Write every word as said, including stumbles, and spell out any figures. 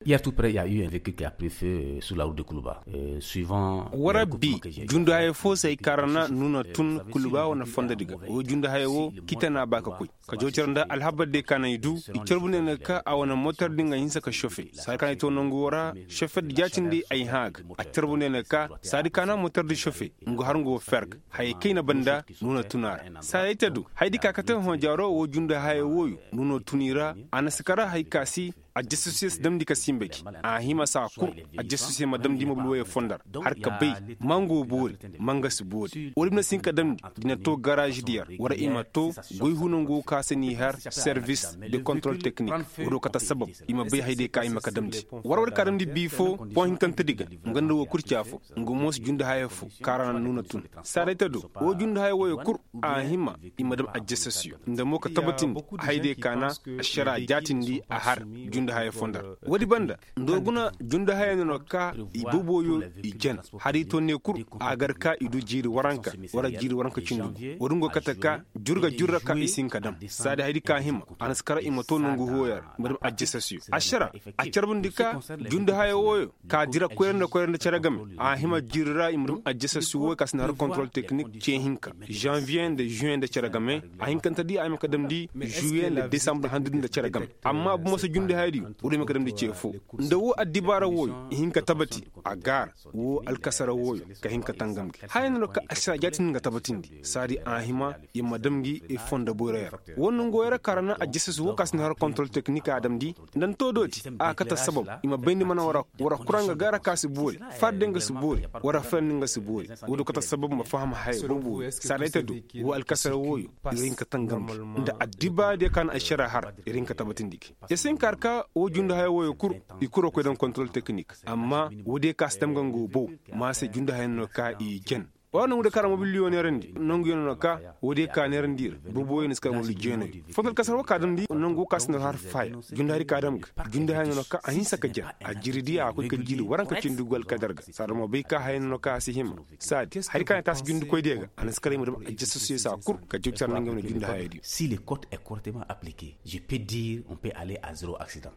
Hier tout près il y a eu un véhicule qui a pris feu sur la route de Kuluba. War bi, jundu haya fo se ay kaarana nuuna tun kuluba wane fondodi ga. Wo jundu haya wo, kitana ba ka koy ka jawcar nda alhabar de ka na i du. I carbu ne na ka a wane motor di nga hinsa ka sofe saadi ka na i to nangu wo ra. Sofe di jaatindi ay hã ga. A carbu ne na ka saadi ka na motor di sofe, nga har nga wo fer ga. Hayey kay na banda nuuna tun a ra. Saadi ay ta du haydi ka kate hõ jaaro wo jundu haya wooyo nuuna tun i ra. A na si kara hay ka si ajjasasiyo si damndi ka sinba gi. A hima saa kul ajjasasiyo ma damndi mobil wooyo fondo ra, har ka bay ma nga wo boori, ma nga si boori woodi ma na si hin ka damndi. Di na to garaazidi yer wara i ma to goy hunangu ka se n'i har servis de kontrol teknik. Woodi wo kate assabab i ma bay haydiyo ka i ma ka damndi. War war ka damndi bii fo, boŋ hinkantedi ga, nga nda woo kul ci afo. Nga mo si jundu haya fo kaara na nuuna tun. Saaday ta do woo jundu haya wooyo kul a hima i ma dam ajjasasiyo nda mo ka tabatindi haydiyo ka na ašaraa jaatindi a har jundu haya fo nda ra. Woodi banda nda woo guna jundu haya no na ka i boboyo i jen. Har i to ne kul a gar ka i du jiiri waranka wara jiiri waranka cindi gu. Woodi nga go kate ka jur ga jur ra ka i si hin ka dam. Saadi haydi ka hima a na si kara i ma to nongu huwoyo ra i ma dam ajjasasiyo ašaraa. A carbundi ka jundu haya wooyo ka dira koyra nda koyra nda cere game. A hima jiiri ra i ma dam ajjasasiyo wooyo ka si na har kontrol teknik ce hinka, žanviye nda žuwe nda cere game. A hinkante di a hima ka damndi žuwe nda desambar handudi nda cere game. Amma bomo se jundu hayadiyo woodi hima ka damndi ce foo. Nda woo addibaara wooyo i hin ka tabati a gaara woo alkasara wooyo ka hin ka tangam gi haya no na ka ašaraa jaatindi nga tabatindi. Saadi a hima i ma dam gi i fondo boyroyo ra. Woo nongu wooyo ra kaara na ajjasasiyo woo ka si na har kontrol teknik a damndi. Nda ni too dooti a kate assabab i ma bayndi mana war kura nga gaara ka si boori, farde nga si boori, war farandi nga si boori. Woodi kate assabab ma faham haya boobo wooyo saaday ta do woo alkasara wooyo ir hin ka tangam gi nda addibaadiyo ka na ašaraa har ir hin ka tabatindi gi. Ir si hin ka har ka woo jundu haya wooyo kul i kul ra koy daŋ kontrol teknik. Amma woodiyo ka si dam ga nga woo bow ma se jundu haya no ka i jen. Woo nongu de ka ra mobil yoo neerandi nongu yoo no ka woodiyo ka neerandi ir boobo wooyo ni si kar mobil jeenayo. Foto alkasara woo ka damndi nongu woo ka si na har faaya jundu haya di ka dam ga jundu haya no ka a hinsa ka jen. A jiiri di a koy ka jiiri waranka cindi gu alkadar ga saada mo bay ka haya no ka a si hima. Saadi haya di ka na taasi jundikoydiyo ga a na si kar i ma dam ajjasasiyo saa kul ka jaw care nda nga wane jundu haya diyo. Si le code est correctement appliqué je peux dire on peut aller à zero accident.